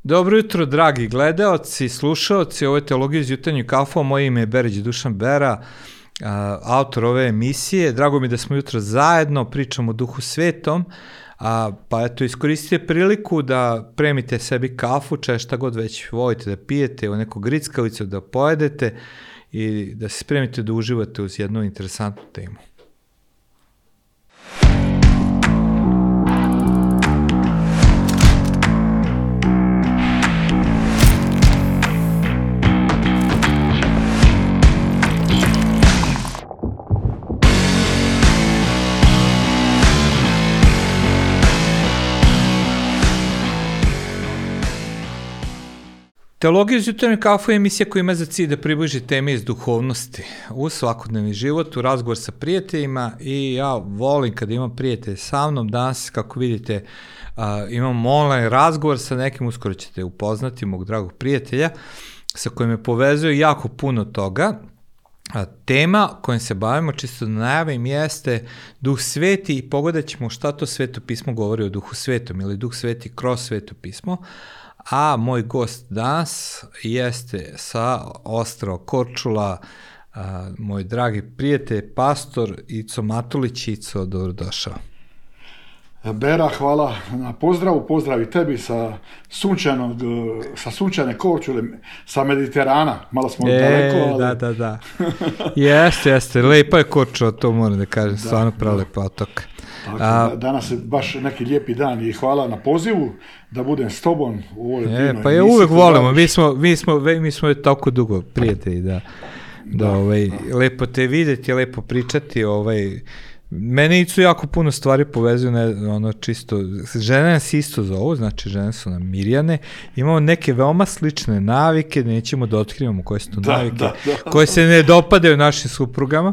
Dobro jutro, dragi gledaoci, slušaoci, ovo je Teologija iz jutarnjeg kafe, moje ime je Berić Dušan Bera, autor ove emisije. Drago mi da smo jutro zajedno, pričamo o Duhu Svetom, pa eto, iskoristite priliku da premite sebi kafu, šta god već volite da pijete, u neku grickavicu da pojedete i da se spremite da uživate uz jednu interesantnu temu. Teologija iz jutarnjeg kafe je emisija koja ima za cilj da približi teme iz duhovnosti u svakodnevni život, u razgovor sa prijateljima i ja volim kada imam prijatelje sa mnom. Danas, kako vidite, imam online razgovor sa nekim, uskoro ćete upoznati mog dragog prijatelja sa kojim me povezuje jako puno toga. Tema kojom se bavimo, čisto da najavim, jeste Duh Sveti i pogledat ćemo šta to Sveto pismo govori o Duhu Svetom ili Duh Sveti kroz Sveto pismo. A moj gost danas jeste sa ostrva Korčula, moj dragi prijatelj, pastor Ico Matulić. Ico, dobrodošao. Bera, hvala na pozdravu, pozdrav i tebi sa sunčane Korčule, sa Mediterana, malo smo daleko, ali... Da. Jeste, lepa je Korčula, to moram da kažem, stvarno prelepa otok. Danas je baš neki lijepi dan i hvala na pozivu da budem s tobom u ovoj divnoj emisiji. Pa je uvek volimo, mi smo tako dugo prijatelji da lepo te vidjeti, lepo pričati. Mene Icu jako puno stvari povezuju, čisto, žene nas isto zovu, znači žene su nam Mirjane, imamo neke veoma slične navike, nećemo da otkrivamo koje su to navike, koje se ne dopadaju našim suprugama.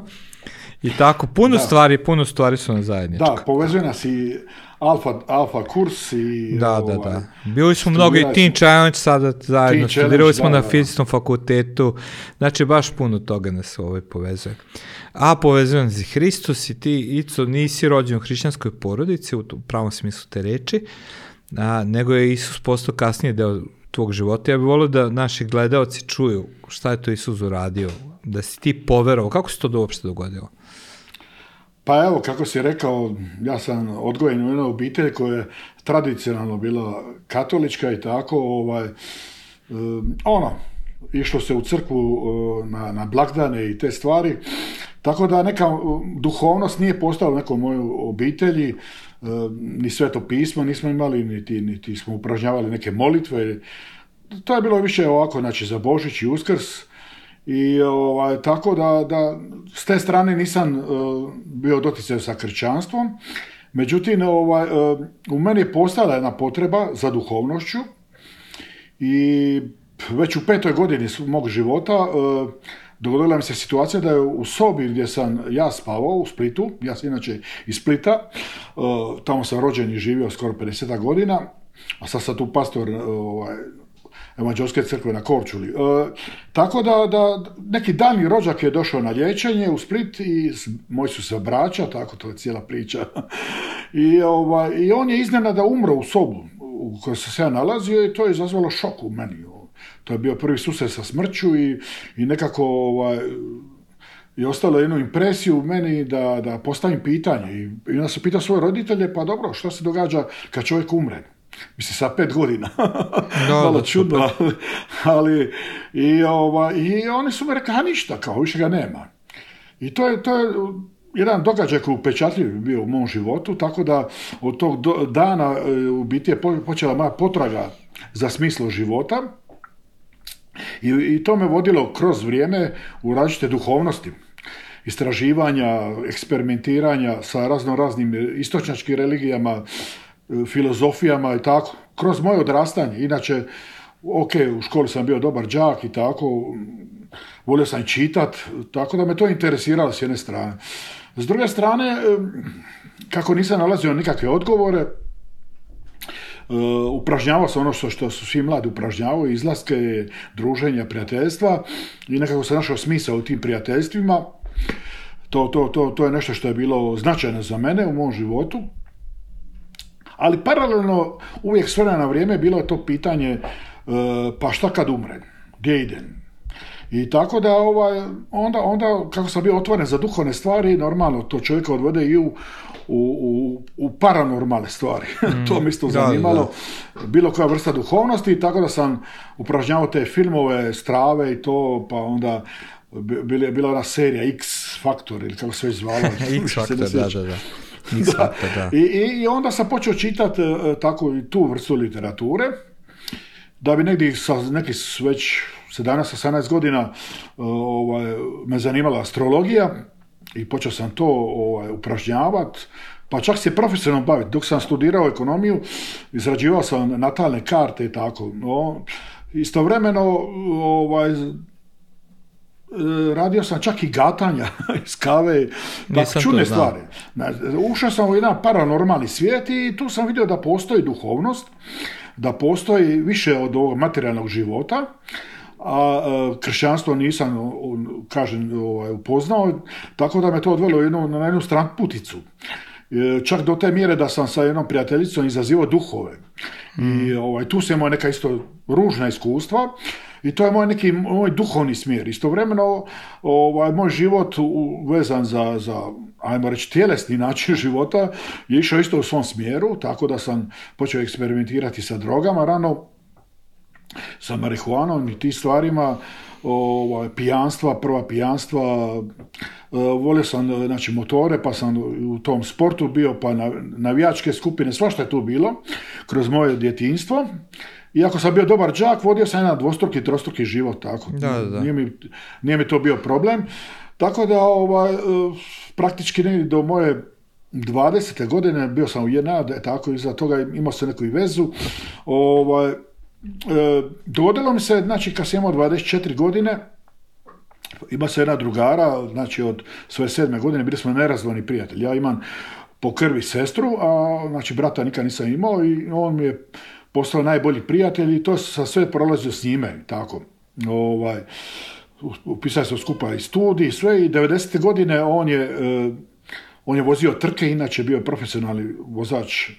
I tako, puno stvari su na zajedničko. Da, povezuje nas i alfa kurs i... Da. Bili smo mnogo i Teen Challenge sada zajedno, studirali smo na Fizičkom fakultetu, znači baš puno toga nas povezuje. A povezuje nas i Hristos i ti, Ico, nisi rođen u hrišćanskoj porodici, u pravom smislu te reči, nego je Isus postao kasnije deo tvog života. Ja bih volio da naši gledaoci čuju šta je to Isus uradio, da si ti poverovao. Kako se to uopšte dogodilo? Pa evo, kako si rekao, ja sam odgojen u jednoj obitelji koja je tradicionalno bila katolička i tako, išlo se u crkvu na blagdane i te stvari, tako da neka duhovnost nije postala u nekoj mojoj obitelji, ni Sveto pismo nismo imali, niti smo upražnjavali neke molitve, to je bilo više ovako, znači za Božić i Uskrs. I tako da s te strane nisam bio doticaj sa kršćanstvom, međutim u meni je postala jedna potreba za duhovnošću i već u 5. godini mog života dogodila mi se situacija da je u sobi gdje sam ja spavao u Splitu, ja sam inače iz Splita, tamo sam rođen i živio skoro 50 godina, a sad sam tu pastor Evanđelske crkve na Korčuli. Tako da neki daljnji rođak je došao na liječenje u Split i moji su se braća, tako to je cijela priča. I on je iznenada umro u sobu u kojoj sam se ja nalazio i to je izazvalo šok u meni. To je bio prvi susret sa smrću i nekako je ostalo jednu impresiju u meni da postavim pitanje. I onda sam pitao svoje roditelje, pa dobro, što se događa kad čovjek umre? Mislim, sa 5 godina. Malo čudno, ali i oni su mi rekli, ništa, kao više ga nema. I to je jedan događaj koji je upečatljiv bio u mom životu, tako da od tog dana u biti je počela moja potraga za smislo života i to me vodilo kroz vrijeme u različite duhovnosti. Istraživanja, eksperimentiranja sa raznim istočnjačkim religijama, filozofijama i tako, kroz moje odrastanje. Inače, u školi sam bio dobar đak i tako, volio sam čitat, tako da me to interesiralo s jedne strane. S druge strane, kako nisam nalazio nikakve odgovore, upražnjavao sam ono što su svi mladi upražnjavaju, izlaske, druženja, prijateljstva i nekako sam našao smisao u tim prijateljstvima. To je nešto što je bilo značajno za mene u mom životu. Ali paralelno, uvijek s vremena na vrijeme, bilo je to pitanje pa šta kad umrem, gdje idem? I tako da onda kako sam bio otvoren za duhovne stvari, normalno to čovjeka odvode i u paranormalne stvari. To mi isto zanimalo. Bilo koja vrsta duhovnosti, tako da sam upražnjavao te filmove, strave i to, pa onda bila ona serija X Factor ili kako se već zvala. X Factor, da. I onda sam počeo čitati tako i tu vrstu literature, da bi negdje sa nekih već 17-18 godina me zanimala astrologija i počeo sam to upražnjavati, pa čak se profesionalno baviti. Dok sam studirao ekonomiju, izrađivao sam natalne karte i tako. Istovremeno radio sam čak i gatanja iz kave, tako čudne stvari. Ušao sam u jedan paranormalni svijet i tu sam vidio da postoji duhovnost, da postoji više od ovog materijalnog života, a kršćanstvo nisam, upoznao, tako da me to odvelo na jednu stranputicu. Čak do te mjere da sam sa jednom prijateljicom izazivao duhove. I tu se imao neka isto ružna iskustva i to je moj duhovni smjer. Istovremeno moj život vezan za ajmo reći tjelesni način života je išao isto u svom smjeru, tako da sam počeo eksperimentirati sa drogama rano, sa marihuanom i tim stvarima, prva pijanstva, volio sam motore, pa sam u tom sportu bio, pa navijačke skupine, svašta je tu bilo kroz moje djetinjstvo. Iako sam bio dobar đak, vodio sam jedan dvostruki, trostruki život, tako. Da. Nije mi to bio problem. Tako da praktički do moje 20. godine bio sam u JNA, tako iza toga imao sam neku i vezu. Dogodilo mi se, znači kad sam imao 24 godine, ima se jedna drugara, znači od svoje 7. godine bili smo nerazdvojni prijatelji. Ja imam po krvi sestru, a znači brata nikad nisam imao i on mi je postao najbolji prijatelj i to sam sve prolazio s njime, tako. Upisali smo skupa i studij, sve i 90. godine on je vozio trke, inače bio je profesionalni vozač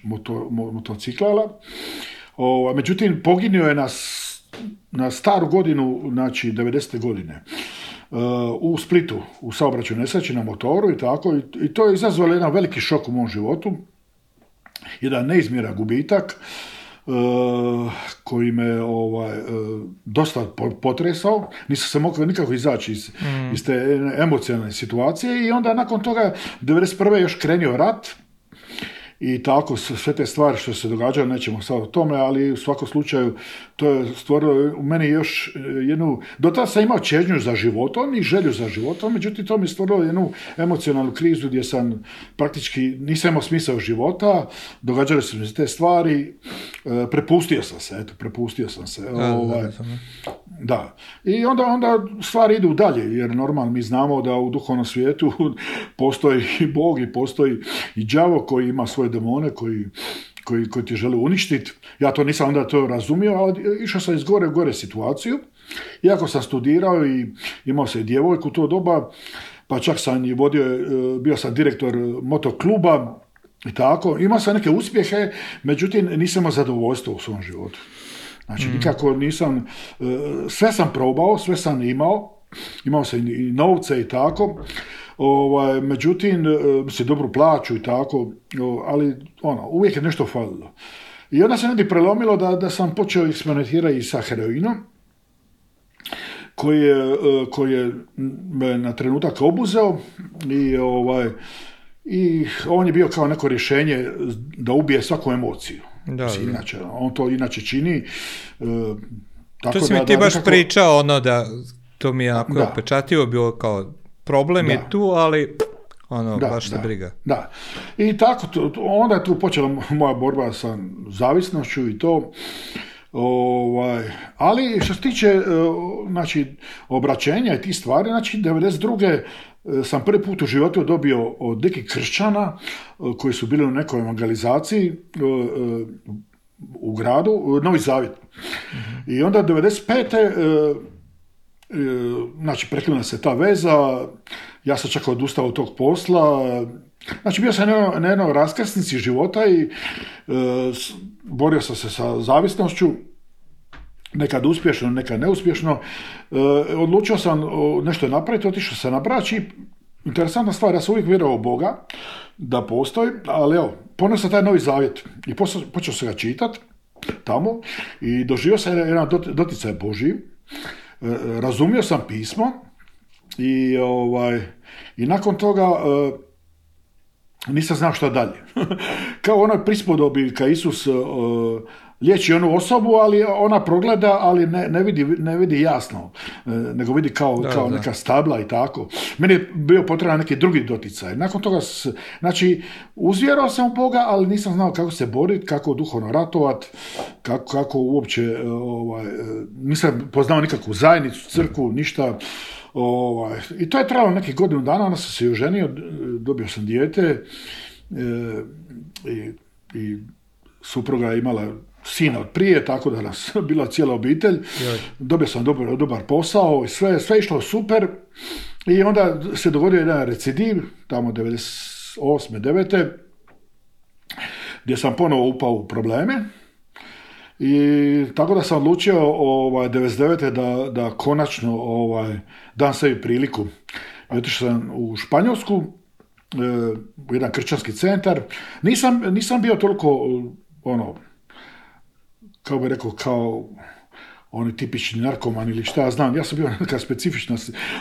motociklala. Međutim, poginuo je na staru godinu, znači 90. godine, u Splitu, u saobraćaju nesreći na motoru i tako. I to je izazvalo jedan veliki šok u mom životu, jedan neizmjeran gubitak koji me dosta potresao. Nisam se mogao nikako izaći iz te emocionalne situacije i onda nakon toga 91. još krenio rat. I tako, sve te stvari što se događaju, nećemo sad o tome, ali u svakom slučaju to je stvorilo u meni još jednu, do tada sam imao čežnju za životom i želju za životom, međutim to mi je stvorilo jednu emocionalnu krizu gdje sam praktički nisam imao smisao života, događale su mi se te stvari, prepustio sam se. Da. I onda stvari idu dalje, jer normalno mi znamo da u duhovnom svijetu postoji i Bog i postoji i đavo koji ima svoje demone koji ti žele uništiti. Ja to nisam onda to razumio, ali išao sam iz gore u gore situaciju. Iako sam studirao i imao sam i djevojku u to doba, pa čak sam i bio sam direktor motokluba i tako. Imao sam neke uspjehe, međutim nisam imao zadovoljstvo u svom životu. Znači nikako nisam, sve sam probao, sve sam imao sam i novce i tako. Međutim, se dobro plaću i tako, ali uvijek je nešto falilo. I onda se negdje prelomilo da sam počeo eksperimentirati i sa heroinom, koji je me na trenutak obuzeo i on je bio kao neko rješenje da ubije svaku emociju. Inače, on to inače čini. Tako to si mi ti baš nekako pričao, da to mi je onako upečatljivo bilo kao problem je tu, ali baš te briga. Da. I tako, onda je tu počela moja borba sa zavisnošću i to. Ali što se tiče obraćenja i tih stvari, znači 92. sam prvi put u životu dobio od nekih kršćana koji su bili u nekoj evangelizaciji u gradu, Novi Zavjet. I onda 95. znači prekinula se ta veza, ja sam čak odustao od tog posla, znači bio sam na jednoj raskrsnici života i borio sam se sa zavisnošću, nekad uspješno, nekad neuspješno. Odlučio sam nešto napraviti, otišao sam na Brač i interesantna stvar, ja sam uvijek vjerovao u Boga, da postoji, ali evo, ponio sam taj Novi Zavjet i počeo sam ga čitati tamo i doživio sam jedan doticaj Božji, razumio sam pismo i nakon toga nisam znao šta dalje. Kao onoj prispodobi kad Isus liječi onu osobu, ali ona progleda, ali ne vidi jasno, nego vidi kao neka stabla i tako. Meni je bio potreban neki drugi doticaj. Nakon toga, znači, uzvjerao sam u Boga, ali nisam znao kako se boriti, kako duhovno ratovat, kako uopće, nisam poznao nikakvu zajednicu, crkvu, ništa. I to je trajalo nekih godinu dana, onda sam se oženio, dobio sam dijete i supruga je imala sina od prije, tako da nas bila cijela obitelj. Dobio sam dobar posao i sve išlo super. I onda se dogodio jedan recidiv, tamo 98. 9. gdje sam ponovo upao u probleme. I tako da sam odlučio 99. da konačno dam sebi priliku. I otišao sam u Španjolsku, u jedan kršćanski centar. Nisam bio toliko kao bi rekao, kao oni tipični narkoman ili šta ja znam, ja sam bio neka specifična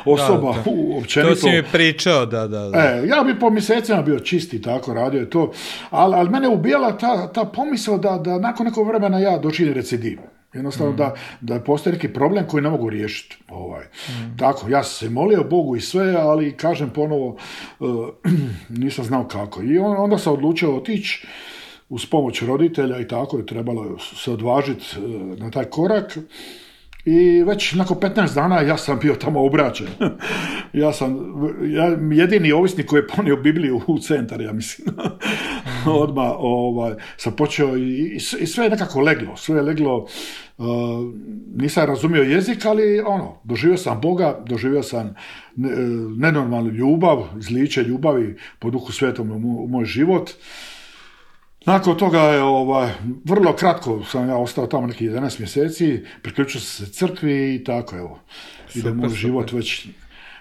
osoba općenito. To si mi pričao, da. Ja bi po mjesecima bio čisti, tako radio je to, ali mene ubijala ta pomisao da nakon nekog vremena ja doživim recidiv. Jednostavno da postoji neki problem koji ne mogu riješiti. Tako, ja sam se molio Bogu i sve, ali kažem ponovo, nisam znao kako. I onda sam odlučio otići uz pomoć roditelja i tako je trebalo se odvažiti na taj korak. I već nakon 15 dana ja sam bio tamo obraćen. ja jedini ovisnik koji je ponio Bibliju u centar, ja mislim. Odmah sam počeo i sve je nekako leglo. Sve je leglo, nisam razumio jezik, ali doživio sam Boga, doživio sam nenormalnu ljubav, izliče ljubavi po Duhu Svetom u moj život. Nakon toga je vrlo kratko sam ja ostao tamo nekih 11 mjeseci, priključio sam se crkvi i tako evo. Ide moj život već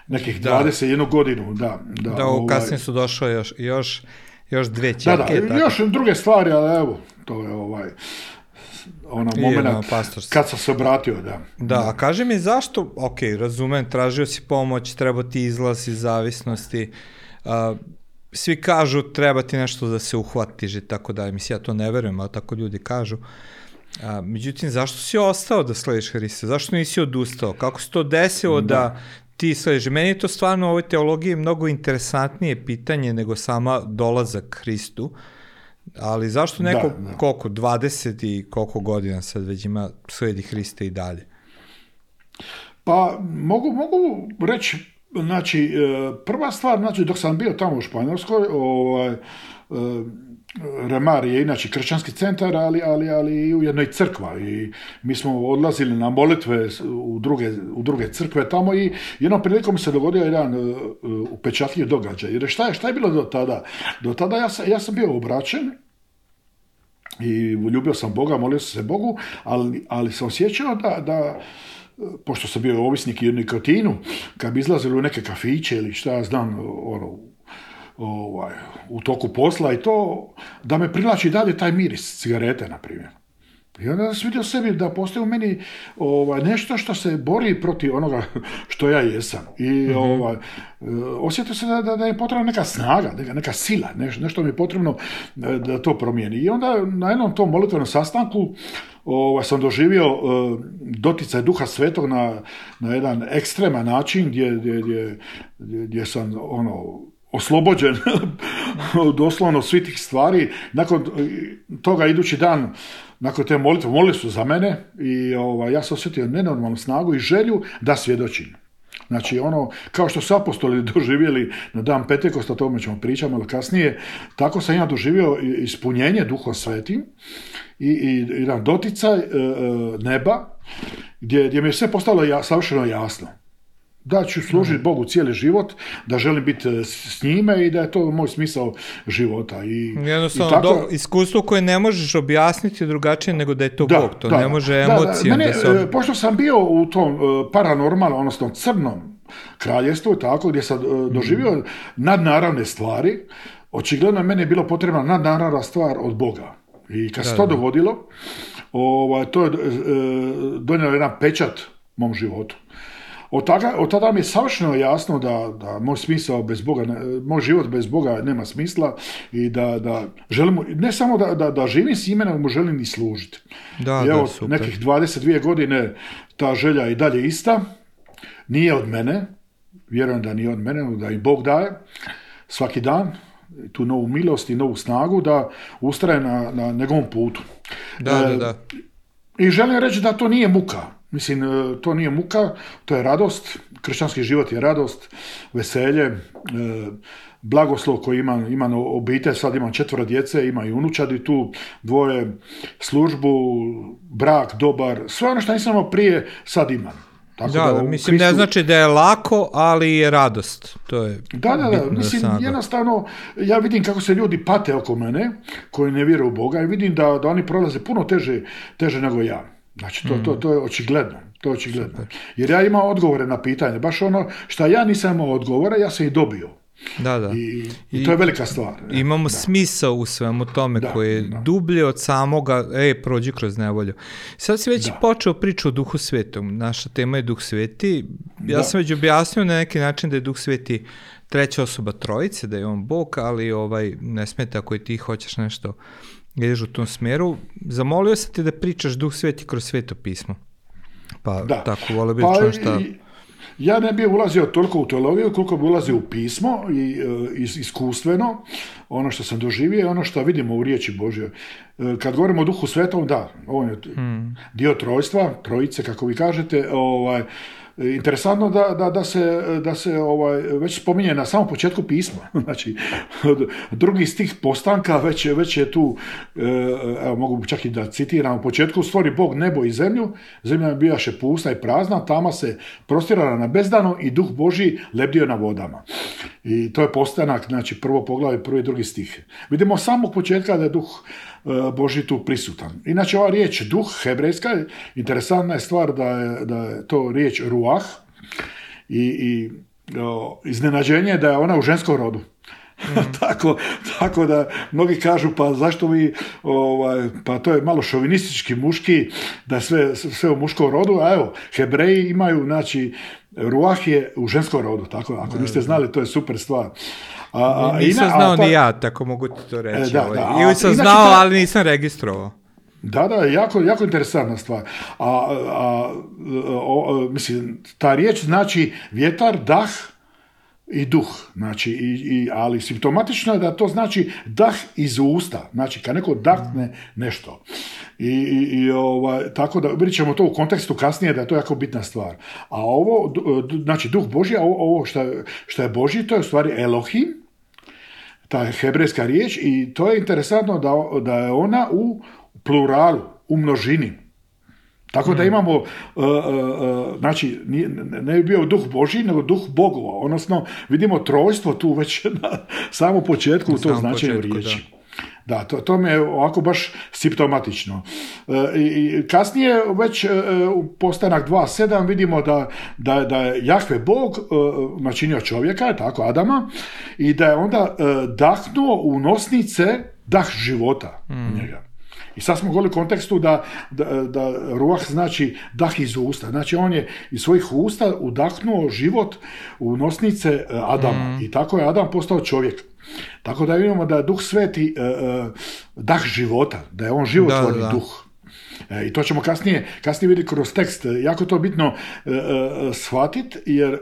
nekih 21 godinu. Da, kasnije su došle još dvije ćerke. Da, još druge stvari, ali evo, to je moment kad sam se obratio, da. Da, a kaži mi zašto, razumem, tražio si pomoć, treba ti izlaz iz zavisnosti, svi kažu treba ti nešto da se uhvatiš i tako da, mislim, ja to ne verujem, ali tako ljudi kažu. Međutim, zašto si ostao da slediš Hrista? Zašto nisi odustao? Kako se to desilo da ti slediš? Meni je to stvarno u ovoj teologiji mnogo interesantnije pitanje nego sama dolazak Hristu, ali zašto neko, koliko, 20 i koliko godina sad već ima sledi Hrista i dalje? Pa, mogu reći, znači, prva stvar, znači, dok sam bio tamo u Španjolskoj, Remar je inače kršćanski centar, ali i u jednoj crkva i mi smo odlazili na molitve u druge crkve tamo i jednom prilikom se dogodio jedan upečatljiv događaj. Jer šta je bilo do tada? Do tada ja sam bio obraćen i ljubio sam Boga, molio sam se Bogu, ali sam osjećao da pošto sam bio ovisnik i u nikotinu, kad bi izlazili u neke kafiće ili šta ja znam, u toku posla i to, da me privlači dalje taj miris cigarete, na primjer. I onda sam vidio sebi da postoji u meni nešto što se bori protiv onoga što ja jesam. I osjetio se da je potrebna neka snaga, neka sila, nešto mi je potrebno da to promijeni. I onda na jednom tom molitvenom sastanku sam doživio doticaj Duha Svetog na jedan ekstreman način gdje sam oslobođen doslovno svih tih stvari. Nakon toga idući dan, nakon te molitve, molili su za mene i ja sam osjetio nenormalnu snagu i želju da svjedočim. Znači, kao što su apostoli doživjeli na dan Pentekosta, o tome ćemo pričati malo kasnije, tako sam ja doživio ispunjenje Duhom Svetim i jedan doticaj neba gdje mi je sve postalo savršeno jasno. Da ću služiti Bogu cijeli život, da želim biti s njime i da je to moj smisao života. Jednostavno, tako, iskustvo koje ne možeš objasniti drugačije nego da je to Bog, to ne može emocijom da se... Pošto sam bio u tom paranormalnom, odnosno crnom kraljevstvu, tako, gdje sam doživio nadnaravne stvari, očigledno meni je bilo potrebna nadnaravna stvar od Boga. I kad se to dogodilo, to je donijelo jedan pečat mom životu. Od tada mi je savršeno jasno da moj smisao bez Boga, moj život bez Boga nema smisla i da želim, ne samo da živim s njime, nego mu želim i služiti. I evo, nekih 22 godine ta želja i dalje ista, nije od mene, vjerujem da nije od mene, da i Bog daje svaki dan tu novu milost i novu snagu da ustraje na njegovom putu. Da. I želim reći da to nije muka. Mislim, to nije muka, to je radost, kršćanski život je radost, veselje, blagoslov koji ima obitelj, sad imam 4 djece, ima i unučadi tu, 2, službu, brak, dobar, sve ono što nisam imao prije, sad imam. Tako mislim, Kristu... ne znači da je lako, ali je radost. To je mislim, jednostavno, ja vidim kako se ljudi pate oko mene, koji ne vjeruju u Boga, i vidim da oni prolaze puno teže nego ja. Znači, to je očigledno. To je očigledno. Super. Jer ja imam odgovore na pitanje. Baš ono što ja nisam imao odgovore, ja sam ih dobio. Da. I to je velika stvar. Imamo smisao u svemu tome koji je dublje od samoga, prođi kroz nevolju. Sad si već počeo priču o Duhu Svetom. Naša tema je Duh Sveti. Ja sam već objasnio na neki način da je Duh Sveti treća osoba trojice, da je on Bog, ali ne smeta ako i ti hoćeš nešto ideš u tom smjeru. Zamolio sam te da pričaš Duh Sveti kroz Sveto pismo. Pa tako volio bih čuti šta... Ja ne bih ulazio toliko u teologiju koliko bi ulazio u pismo i iskustveno, ono što sam doživio i ono što vidimo u riječi Božjoj. Kad govorimo o Duhu Svetom, on je dio trojstva, trojice kako vi kažete, interesantno da se već spominje na samom početku pisma. Znači, drugi stih postanka već je tu, evo mogu čak i da citiram, u početku stvori Bog nebo i zemlju, zemlja bijaše pusta i prazna, tama se prostirala na bezdano i Duh Božji lebdio na vodama. I to je postanak, znači prvo poglavlje, prvi i drugi stih. Vidimo samog početka da je Duh Božji tu prisutan. Inače, ova riječ duh, hebrejska, interesantna je stvar da je to riječ ruah i iznenađenje da je ona u ženskom rodu. Tako da mnogi kažu, pa zašto vi, pa to je malo šovinistički muški, da je sve u muškom rodu, a evo, Hebreji imaju, znači, ruah je u ženskom rodu, tako, ako niste znali, to je super stvar. Nisam znao ni ja, tako mogu ti to reći. Ili sam znao, ali nisam registrovao. Jako interesantna stvar. Mislim, ta riječ znači vjetar, dah i duh. Znači, ali simptomatično je da to znači dah iz usta. Znači, kad neko dahne nešto. Tako da vidjet ćemo to u kontekstu kasnije da je to jako bitna stvar. A ovo, znači duh Božji, ovo što je Božji, to je u stvari Elohim, ta hebrejska riječ, i to je interesantno da je ona u pluralu, u množini. Tako da imamo, znači, ne bi bio duh Božji, nego duh Bogova. Odnosno, vidimo trojstvo tu već na samom početku u tom značenju riječi. Da, to mi je ovako baš simptomatično. I kasnije već u postanak 2.7 vidimo da je Jahve Bog načinio čovjeka, tako Adama, i da je onda dahnuo u nosnice dah života u njega. I sad smo govorili u kontekstu da ruah znači dah iz usta. Znači on je iz svojih usta udahnuo život u nosnice Adama. I tako je Adam postao čovjek. Tako da vidimo da je Duh Sveti dah života, da je on životvorni duh. I to ćemo kasnije vidjeti kroz tekst. Jako to bitno shvatiti, jer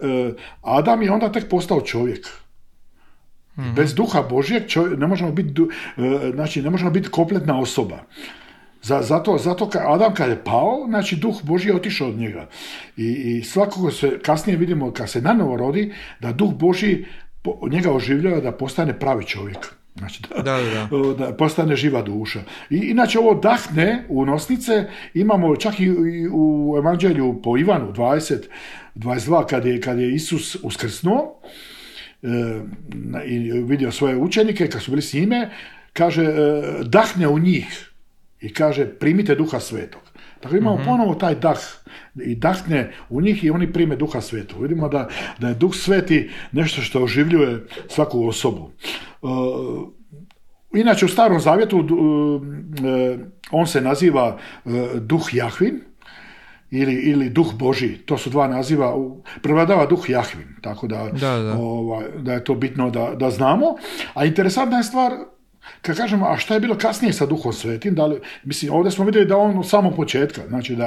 Adam je onda tek postao čovjek. Bez duha Božjeg ne možemo biti kompletna osoba. Zato Adam kad je pao, znači duh Božji je otišao od njega. I svakako se kasnije vidimo kad se nanovo rodi, da duh Božji njega oživljava da postane pravi čovjek. Znači da postane živa duša. I inače ovo dahne u nosnice imamo čak i u Evanđelju po Ivanu 20:22 kad je Isus uskrsnuo i vidio svoje učenike kad su bili s njime, kaže dahne u njih i kaže primite Duha Svetog. Tako imamo ponovo taj dah i dahne u njih i oni prime Duha Svetog. Vidimo da je Duh Sveti nešto što oživljuje svaku osobu. Inače u Starom Zavjetu on se naziva Duh Jahvin ili Duh Božji. To su dva naziva. Prevladava Duh Jahvin. Tako da je to bitno da znamo. A interesantna je stvar, kad kažemo, a šta je bilo kasnije sa Duhom Svetim, mislim, ovdje smo vidjeli da on od samog početka, znači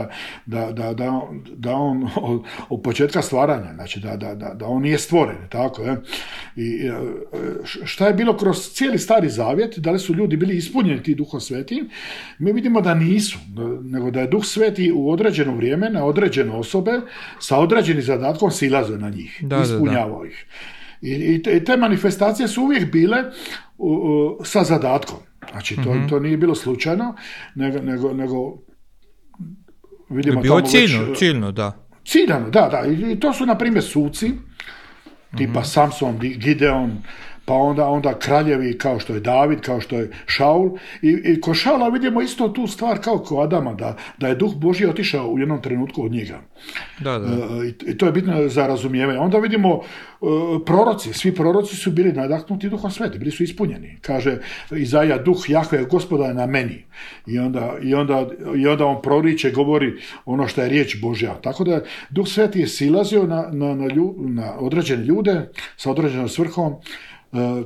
da on od početka stvaranja, znači da on nije stvoren, tako je. I šta je bilo kroz cijeli Stari Zavjet, da li su ljudi bili ispunjeni ti Duhom Svetim, mi vidimo da nisu, nego da je Duh Sveti u određeno vrijeme, na određene osobe, sa određenim zadatkom silazio na njih, ispunjavao ih. I te manifestacije su uvijek bile sa zadatkom. Znači, to nije bilo slučajno, nego vidimo bilo tamo ciljno, da. Ciljano, da. I to su, na primjer, suci, tipa Samson, Gideon, pa onda kraljevi kao što je David, kao što je Šaul. I kod Šaula vidimo isto tu stvar kao kod Adama, da je Duh Božji otišao u jednom trenutku od njega. Da. I to je bitno za razumijevanje. Onda vidimo proroci, svi proroci su bili nadahnuti Duhom Svetim, bili su ispunjeni. Kaže Izaija, Duh Jahve Gospoda je na meni. I onda on proriče, govori ono što je riječ Božja. Tako da Duh Sveti je silazio na određene ljude sa određenom svrhom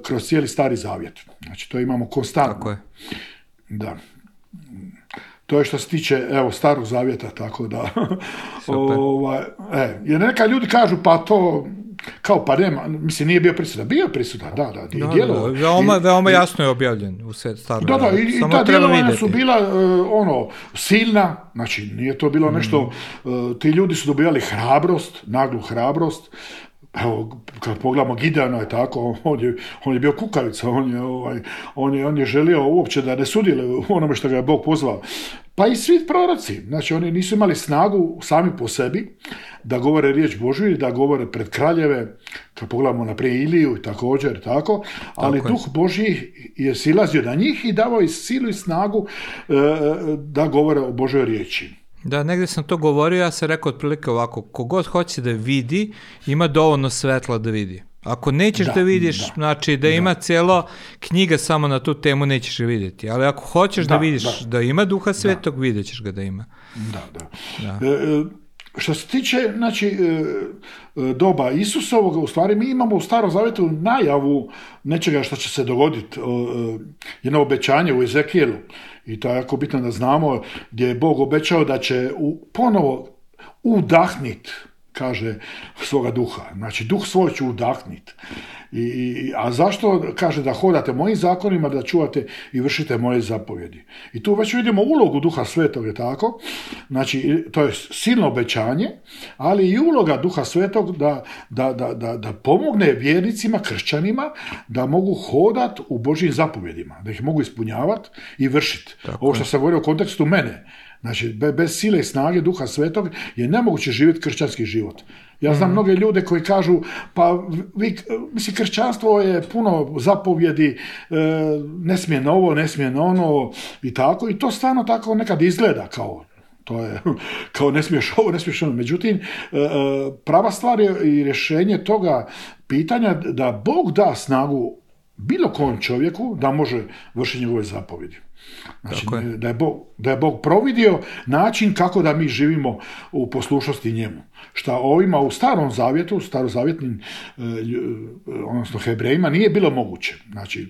kroz cijeli Stari Zavjet. Znači, to imamo konstantno. Tako je. Da. To je što se tiče, Starog Zavjeta, tako da... jer neka ljudi kažu, pa to... Kao pa nema, mislim, nije bio prisutan. Bio prisutan, da. Veoma jasno je objavljen u Starom Zavjetu. Da, i ta djelovanja su bila silna, znači nije to bilo nešto, ti ljudi su dobivali hrabrost, naglu hrabrost. Evo, kad pogledamo Gideona je tako, on je bio kukavica, on je želio uopće da ne sudjeluje u onome što ga je Bog pozvao. Pa i svi proroci, znači oni nisu imali snagu sami po sebi da govore riječ Božju i da govore pred kraljeve, kad pogledamo naprijed Iliju i također tako, ali Duh Božji je silazio na njih i davao i silu i snagu da govore o Božjoj riječi. Da, negdje sam to govorio, ja sam rekao otprilike ovako, kogod hoće da vidi, ima dovoljno svetla da vidi. Ako nećeš da vidiš, znači da ima cijelo knjiga samo na tu temu, nećeš ga vidjeti. Ali ako hoćeš da vidiš da ima Duha Svetog, vidjet ćeš ga da ima. Da. Što se tiče, znači, doba Isusovog, u stvari mi imamo u Starom Zavjetu najavu nečega što će se dogoditi, jedno obećanje u Ezekijelu. I to je jako bitno da znamo, gdje je Bog obećao da će ponovo udahnit, kaže, svoga duha. Znači, duh svoj će udahnit. A zašto? Kaže da hodate mojim zakonima, da čuvate i vršite moje zapovjedi. I tu već vidimo ulogu Duha Svetog, je tako? Znači, to je silno obećanje, ali i uloga Duha Svetog da pomogne vjernicima, kršćanima, da mogu hodati u Božjim zapovjedima, da ih mogu ispunjavati i vršiti. Ovo što sam govorio u kontekstu mene. Znači, bez sile i snage Duha Svetog je nemoguće živjeti kršćanski život. Ja znam mnoge ljude koji kažu, pa mislim, kršćanstvo je puno zapovjedi, ne smije ovo, ne smije ono i tako. I to stvarno tako nekad izgleda kao, to je, kao ne smiješ ovo, ne smiješ ono. Međutim, prava stvar je i rješenje toga pitanja da Bog da snagu bilo kom čovjeku da može vršiti njegove zapovjedi. Znači, da je Bog providio način kako da mi živimo u poslušnosti njemu. Šta ovima u Starom Zavjetu, starozavjetnim, odnosno Hebrejima, nije bilo moguće. Znači,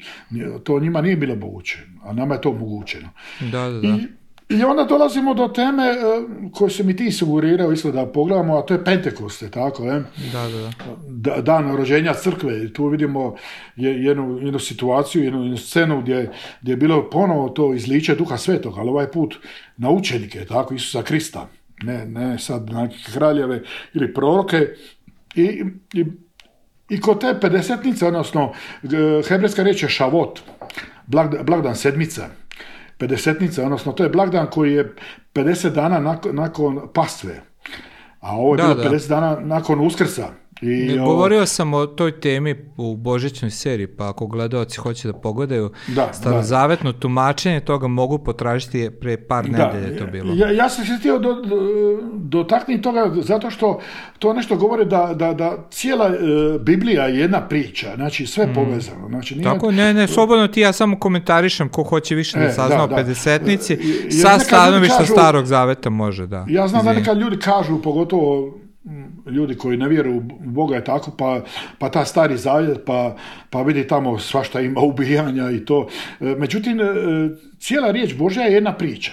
to njima nije bilo moguće, a nama je to omogućeno. Da. I onda dolazimo do teme koju se mi ti sugerirao isto da pogledamo, a to je Pentekoste, tako je? Da. Dan rođenja crkve. Tu vidimo jednu situaciju, jednu scenu gdje je bilo ponovo to izliče Duha Svetog, ali ovaj put na učenike, tako, Isusa Krista. Ne sad na kraljeve ili proroke. I kod te pedesetnice, odnosno hebrejska riječ je šavot. blagdan sedmica, pedesetnica, odnosno to je blagdan koji je 50 dana nakon pastve, a ovo je bilo 50 dana nakon Uskrsa. Govorio sam o toj temi u božićnoj seriji, pa ako gledaoci hoće da pogledaju starozavetno tumačenje toga mogu potražiti pre par nedelje to bilo. Ja sam se htio dotaknuti toga zato što to nešto govori da cijela Biblija je jedna priča, znači sve povezano. Znači, nije... Tako, slobodno ti ja samo komentarišem ko hoće više da sazna o pedesetnici, sa stanovišta starog zaveta može, da. Ja znam da nekad ljudi kažu, pogotovo ljudi koji ne vjeruju u Boga je tako, pa ta stari zavjet, pa vidi tamo svašta ima ubijanja i to. Međutim, cijela riječ Božja je jedna priča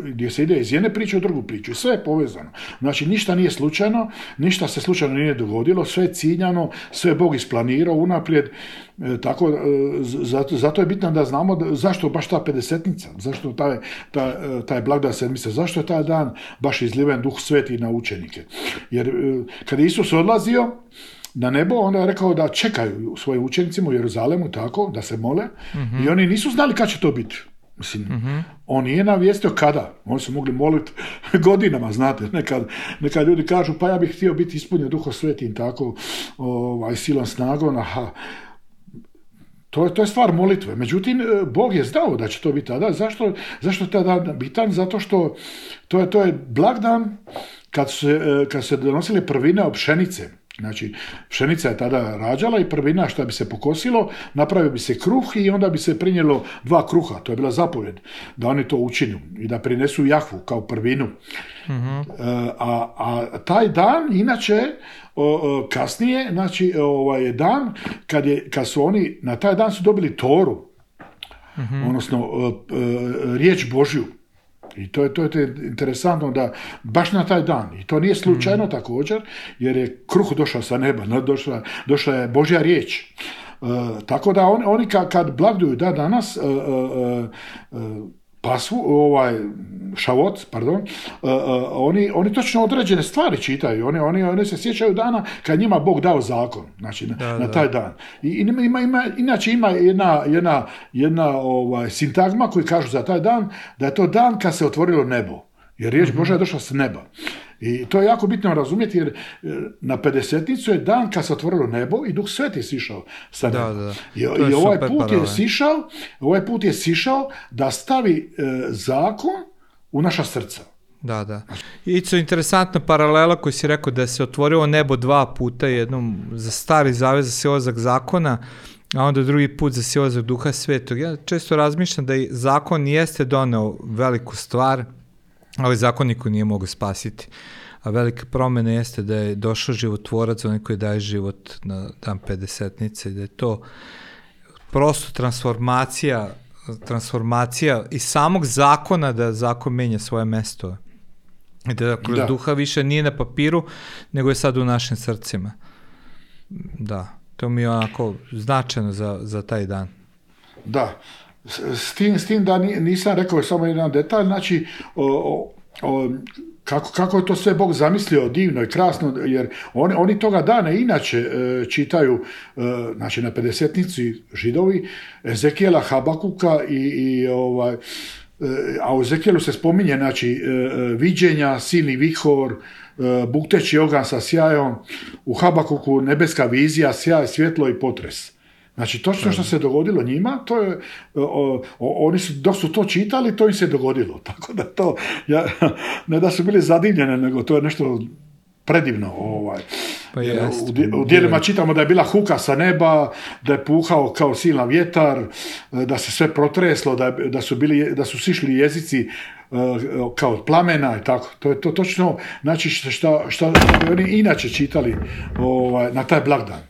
gdje se ide iz jedne priče u drugu priču. Sve je povezano. Znači, ništa nije slučajno, ništa se slučajno nije dogodilo, sve je ciljano, sve je Bog isplanirao unaprijed. Tako, zato je bitno da znamo zašto baš ta pedesetnica, zašto taj blagdan sedmice, zašto je taj dan baš izliven Duh Sveti na učenike. Jer kad je Isus odlazio na nebo, onda je rekao da čekaju svojim učenicima u Jeruzalemu tako, da se mole, i oni nisu znali kad će to biti. Mislim, on nije navijestio kada. Oni su mogli moliti godinama, znate. Nekad ljudi kažu, pa ja bih htio biti ispunjen Duhom Svetim tako, silom snagom, To je stvar molitve. Međutim, Bog je znao da će to biti tada. Zašto je taj dan bitan? Zato što to je blagdan kad se donosili prvine od pšenice. Znači, pšenica je tada rađala i prvina što bi se pokosilo, napravio bi se kruh i onda bi se prinijelo 2 kruha. To je bila zapovjed da oni to učinu i da prinesu Jahvu kao prvinu. A taj dan, inače, kasnije, znači, je dan kad su oni, na taj dan su dobili Toru, odnosno riječ Božju. I to je interesantno da baš na taj dan, i to nije slučajno također, jer je kruh došao sa neba, došla je Božja riječ. Tako da oni kad blagduju danas pasvu, šavot, pardon, oni točno određene stvari čitaju, oni se sjećaju dana kad njima Bog dao zakon, znači na taj dan. Inače ima jedna sintagma koji kažu za taj dan, da je to dan kad se otvorilo nebo, jer riječ Božja je došla s neba. I to je jako bitno razumjeti, jer na pedesetnicu je dan kad se otvorilo nebo i Duh Sveti sišao sa neba. I ovaj put je sišao da stavi zakon u naša srca. Da. Ico, interesantna paralela koju si rekao da se otvorilo nebo 2 puta, jednom za stari zavet, za silazak zakona, a onda drugi put za silazak Duha Svetog. Ja često razmišljam da i zakon jeste doneo veliku stvar, ali zakon niko nije mogao spasiti. A velika promjena jeste da je došao životvorac, onaj koji daje život na dan pedesetnice, da je to prosto transformacija i samog zakona, da zakon menja svoje mesto. I da kroz duha više nije na papiru, nego je sad u našim srcima. Da, to mi je onako značajno za taj dan. Da, s tim da nisam rekao samo jedan detalj, znači kako je to sve Bog zamislio divno i krasno, jer oni toga dana inače čitaju, znači na pedesetnici Židovi, Ezekijela, Habakuka a u Ezekijelu se spominje, znači, viđenja, silni vihor, bukteći oganj sa sjajom, u Habakuku nebeska vizija, sjaj, svjetlo i potres. Znači, točno što se dogodilo njima, to je, oni su, dok su to čitali, to im se dogodilo. Tako da to, ne da su bili zadivljene, nego to je nešto predivno. U dijelima čitamo da je bila huka sa neba, da je puhao kao silna vjetar, da se sve protreslo, da su sišli jezici kao od plamena i tako. To je to točno, znači šta bi oni inače čitali na taj blagdan.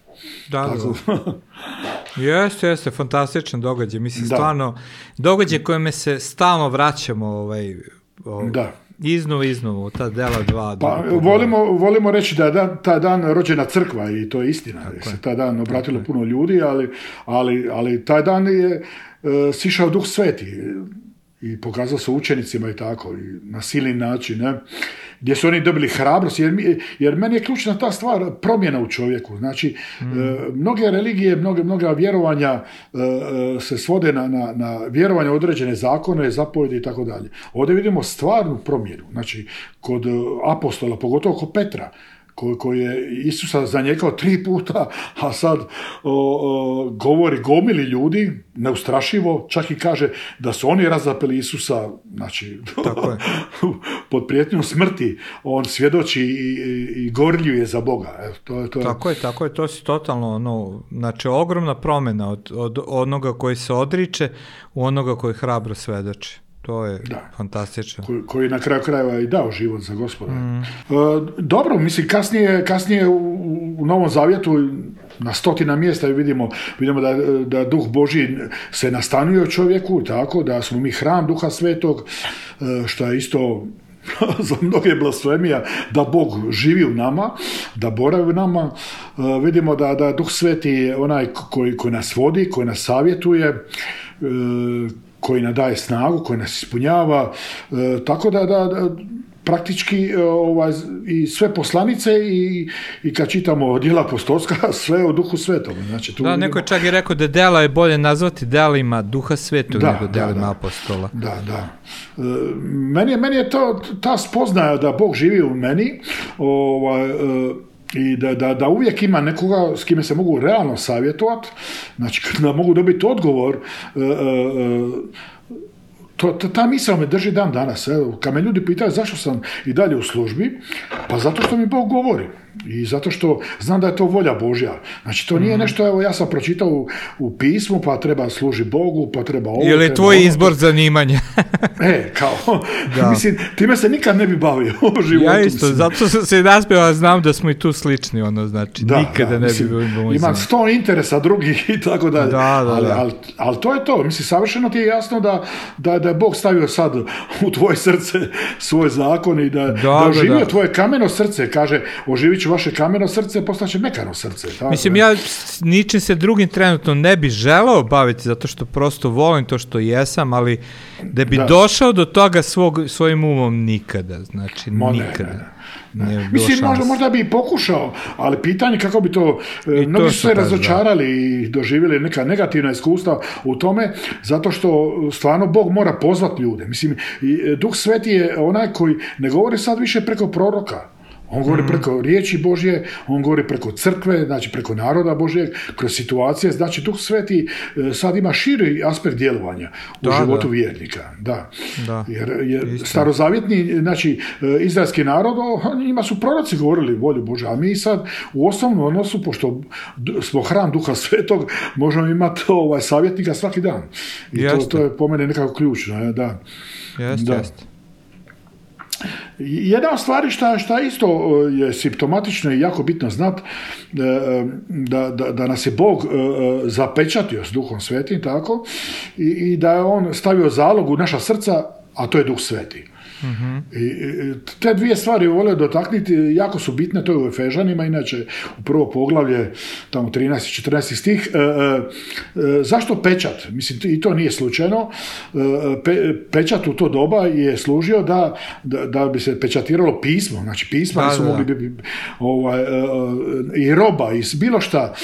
Da. Jeste, fantastičan događaj. Mislim, stvarno, događaj kojime se stalno vraćamo iznova, ta dela 2. Volimo reći da je taj dan rođena crkva i to je istina. Se taj dan obratilo puno ljudi, ali taj dan je sišao Duh Sveti i pokazao se učenicima i tako, i na silni način. Ne? gdje su oni dobili hrabrost, jer meni je ključna ta stvar promjena u čovjeku. Znači, mnoge religije, mnoga vjerovanja se svode na vjerovanje u određene zakone, zapovjedi i tako dalje. Ovdje vidimo stvarnu promjenu. Znači, kod apostola, pogotovo kod Petra, koji je Isusa zanijekao 3 puta, a sad govori gomili ljudi, neustrašivo, čak i kaže da su oni razapeli Isusa, znači, pod prijetnjom smrti, on svjedoči i gorljuje za Boga. Evo, to je. Tako je, to si totalno, znači, ogromna promjena od onoga koji se odriče u onoga koji hrabro svjedoči. To je fantastično. Koji na kraju krajeva i dao život za Gospoda. Dobro, mislim, kasnije u Novom Zavjetu na 100 mjesta vidimo da Duh Božji se nastanuje u čovjeku, tako da smo mi hram Duha Svetog, što je isto za mnoge blasfemija, da Bog živi u nama, da boravi u nama. Vidimo da Duh Sveti je onaj koji nas vodi, koji nas savjetuje, koji nam daje snagu, koji nas ispunjava, tako da praktički i sve poslanice i kad čitamo djela apostolska, sve o Duhu Svetom. Znači, tu neko je čak i rekao da djela je bolje nazvati djelima Duha Svetog nego djelima apostola. Da. Meni je to ta spoznaja da Bog živi u meni, i da uvijek ima nekoga s kime se mogu realno savjetovati, znači da mogu dobiti odgovor, ta misao me drži dan danas. Evo, kad me ljudi pitaju zašto sam i dalje u službi, pa zato što mi Bog govori i zato što znam da je to volja Božja. Znači to nije nešto, evo ja sam pročitao u pismu, pa treba služi Bogu, pa treba ovo. Ili je tvoj izbor zanimanja? Mislim, time se nikad ne bi bavio u životu. Ja isto, zato sam se naspio, a znam da smo i tu slični, znači nikada ne bi bilo. Imam 100 interesa drugih i tako dalje. Ali to je to. Mislim, savršeno ti je jasno da je Bog stavio sad u tvoje srce svoj zakon i da oživio tvoje kameno srce, kaže, oživit ću vaše kameno srce, postaće mekano srce. Tako. Mislim, ja ničim se drugim trenutno ne bi želeo baviti, zato što prosto volim to što jesam, ali da bi došao do toga svojim umom nikada, znači nikada. Mislim, možda bi i pokušao, ali pitanje kako bi to, mnogi su se razočarali i doživjeli neka negativna iskustva u tome, zato što stvarno Bog mora pozvati ljude. Mislim, Duh Sveti je onaj koji ne govori sad više preko proroka. On govori preko riječi Božje, on govori preko crkve, znači preko naroda Božjeg, kroz situacije. Znači, Duh Sveti sad ima širi aspekt djelovanja u životu vjernika. Da. Jer starozavjetni, znači, izraelski narod, njima su proroci govorili volju Božju, a mi sad u osnovnom odnosu, pošto smo hram Duha Svetog, možemo imati savjetnika svaki dan. I to je po mene nekako ključno. Da. Jeste. Jedna od stvari što isto je simptomatično i jako bitno znati, da nas je Bog zapečatio s Duhom Svetim, tako, i da je on stavio zalog u naša srca, a to je Duh Sveti. I te dvije stvari volio dotaknuti, jako su bitne, to je u Efežanima, inače u prvo poglavlje, tamo 13-14 stih. Zašto pečat? Mislim, i to nije slučajno. Pečat u to doba je služio da bi se pečatiralo pismo, znači pisma su mogli biti i roba i bilo šta.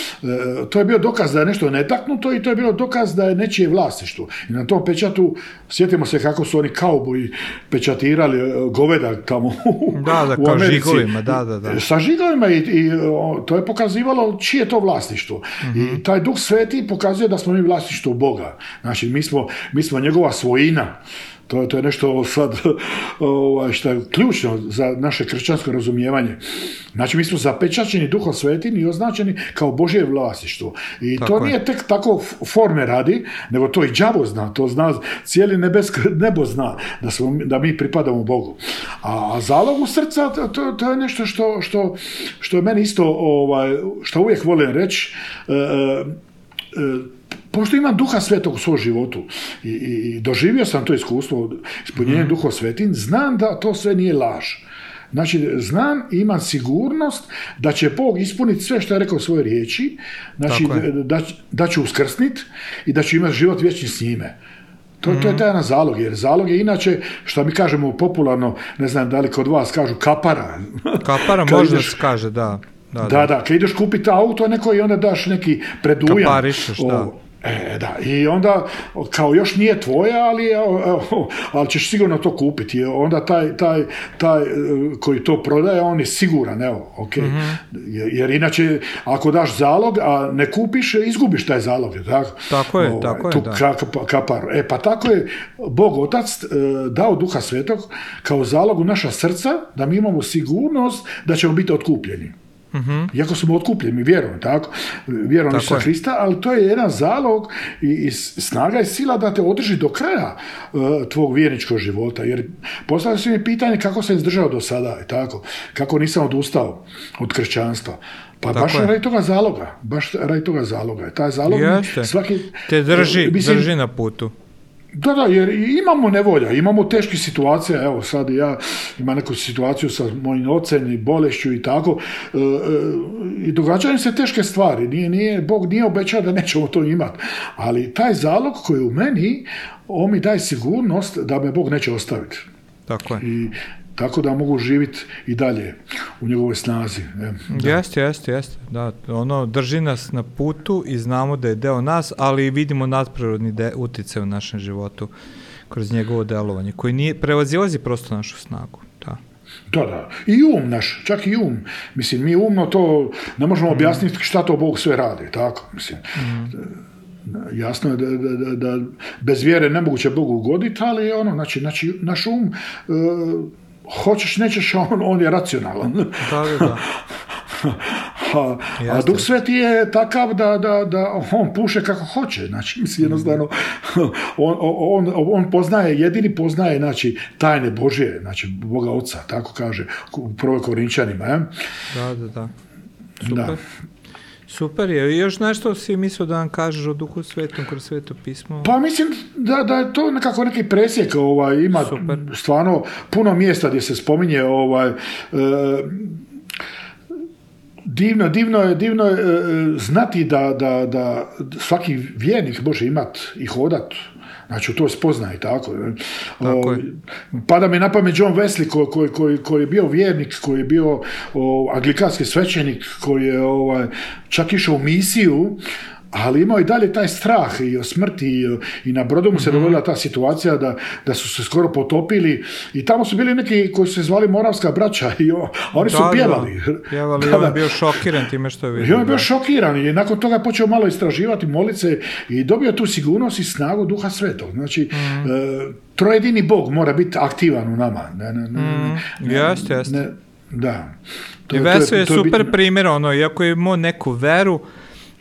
To je bio dokaz da je nešto netaknuto i to je bilo dokaz da je nečije vlasništvo. I na tom pečatu, sjetimo se kako su oni kauboji pečatirali goveda tamo u Americi. Žigovima, sa žigovima i to je pokazivalo čije je to vlasništvo. I taj Duh Sveti pokazuje da smo mi vlasništvo Boga. Znači, mi smo njegova svojina. To je nešto sad što je ključno za naše kršćansko razumijevanje. Znači, mi smo zapečaćeni Duhom Svetim i označeni kao Božje vlasništvo. I to nije tek tako forme radi, nego to i đavo zna, to zna, cijeli nebo zna da mi pripadamo Bogu. A zalogu srca, to je nešto što je meni isto, što uvijek volim reći, pošto imam Duha Svetog u svom životu i doživio sam to iskustvo ispunjenje Duhom Svetim, znam da to sve nije laž. Znači, znam i imam sigurnost da će Bog ispuniti sve što je rekao u svojoj riječi, znači da ću uskrsniti i da ću imati život vječni s njime. To je taj jedan zalog, jer zalog je inače, što mi kažemo popularno, ne znam da li kod vas kažu kapara. Kapara možda se kaže, da. Da, kad ideš kupiti auto neko i onda daš neki predujam. Kaparišeš, da. Da, i onda kao još nije tvoja, ali ćeš sigurno to kupiti. I onda taj koji to prodaje, on je siguran, evo, ok. Jer inače, ako daš zalog, a ne kupiš, izgubiš taj zalog, tako? Tako je, Kaparu. Pa tako je Bog Otac dao Duha Svetog kao zalog u naša srca, da mi imamo sigurnost da ćemo biti otkupljeni. Iako smo otkupljeni, vjerujemo, tako? Vjerujemo Isusa Hrista, ali to je jedan zalog i snaga i sila da te održi do kraja tvog vjerničkog života. Jer postavlja se mi pitanje kako sam izdržao do sada, tako? Kako nisam odustao od kršćanstva. Pa baš radi toga zaloga. Taj zalog svaki... Te drži na putu. Da, jer imamo nevolja, imamo teških situacija, evo sad ja imam neku situaciju sa mojim ocem i bolešću i tako, i događaju se teške stvari, Bog nije obećao da nećemo to imati, ali taj zalog koji je u meni, on mi daje sigurnost da me Bog neće ostaviti. Tako je. I tako da mogu živjeti i dalje u njegovoj snazi. Jeste. Da, ono drži nas na putu i znamo da je deo nas, ali vidimo nadprirodni utjecaj u našem životu kroz njegovo delovanje, koji nije prevazilazi prosto našu snagu. Da. I naš, čak i Mislim, mi umno to ne možemo objasniti šta to Bog sve radi, tako? Mislim, jasno je da bez vjere nemoguće Bogu ugoditi, ali znači naš hoćeš, nećeš, on je racionalan. Da. A Duh Sveti je takav da on puše kako hoće. Znači, mislim, jednostavno, on jedini poznaje, znači, tajne Božje, znači, Boga Oca, tako kaže, u 1. Korinčanima. Da. Super. Super je. I još nešto si mislio da nam kažeš o Duhu Svetom kroz Sveto pismo? Pa mislim da je to nekako neki presjek, ima super. Stvarno puno mjesta gdje se spominje divno je znati da svaki vjernik može imati i hodat. Znači, u to spoznaje, tako. Pada mi na pamet John Wesley, koji je bio vjernik, koji je bio anglikanski svećenik, koji je čak išao u misiju, ali imao i dalje taj strah i o smrti i na brodu mu se dogodila ta situacija da su se skoro potopili i tamo su bili neki koji su se zvali Moravska braća a oni su pjevali. Pjevali, on je bio šokiran time što je vidio. I on je bio šokiran i nakon toga počeo malo istraživati, moliti se i dobio tu sigurnost i snagu Duha Svetog. Znači, trojedini Bog mora biti aktivan u nama. Jeste. Da. I Veso je super primjer, iako je imao neku veru,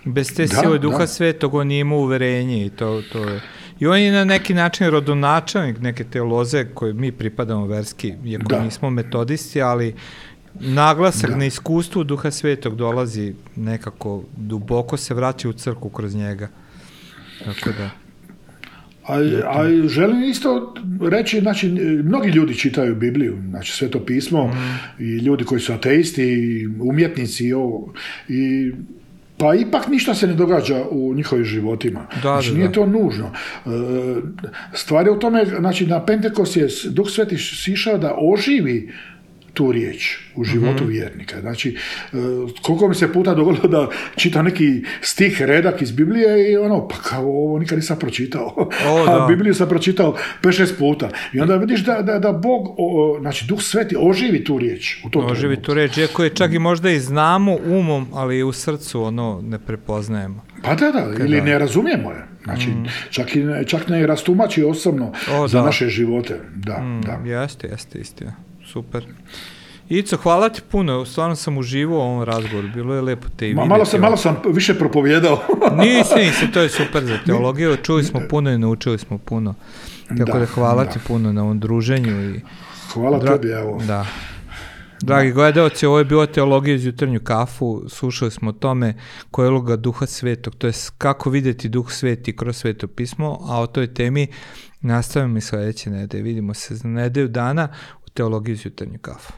bez te sile Duha Svetog on nije imao uverenje i to je. I on je na neki način rodonačelnik neke te loze koje mi pripadamo verski, iako nismo metodisti, ali naglasak na iskustvu Duha Svetog dolazi nekako, duboko se vraća u crkvu kroz njega. Tako da. A želim isto reći, znači, mnogi ljudi čitaju Bibliju, znači Sveto pismo, i ljudi koji su ateisti, i umjetnici i pa ipak ništa se ne događa u njihovim životima. Znači, nije to nužno. Stvar je u tome, znači, na Pentekost je Duh Sveti sišao da oživi tu riječ u životu vjernika. Znači, koliko mi se puta dogodilo da čitam neki stih, redak iz Biblije i pa kao ovo nikad nisam pročitao. A Bibliju sam pročitao 5-6 puta. I onda vidiš da Bog, znači Duh Sveti oživi tu riječ. Oživi tu riječ, iako je čak i možda i znamo umom, ali u srcu ne prepoznajemo. Pa ili ne razumijemo je. Znači, čak ne rastumači osobno za naše živote. Da. Jeste, istina. Super. Ico, hvala ti puno, stvarno sam uživao u ovom razgovoru, bilo je lepo te i vidjeti. Malo sam više propovijedao. Nisi, to je super za teologiju, čuli smo puno i naučili smo puno. Tako da hvala ti puno na ovom druženju. Hvala tebi, evo. Da. Dragi gledalci, ovo je bilo Teologija uz jutarnju kafu, slušali smo o tome koja je uloga Duha Svetog, to je kako vidjeti Duh Sveti kroz Sveto pismo, a o toj temi nastavimo i sljedeće nedelje. Vidimo se za nedelju dana u Teologiji uz jutarnju kafu.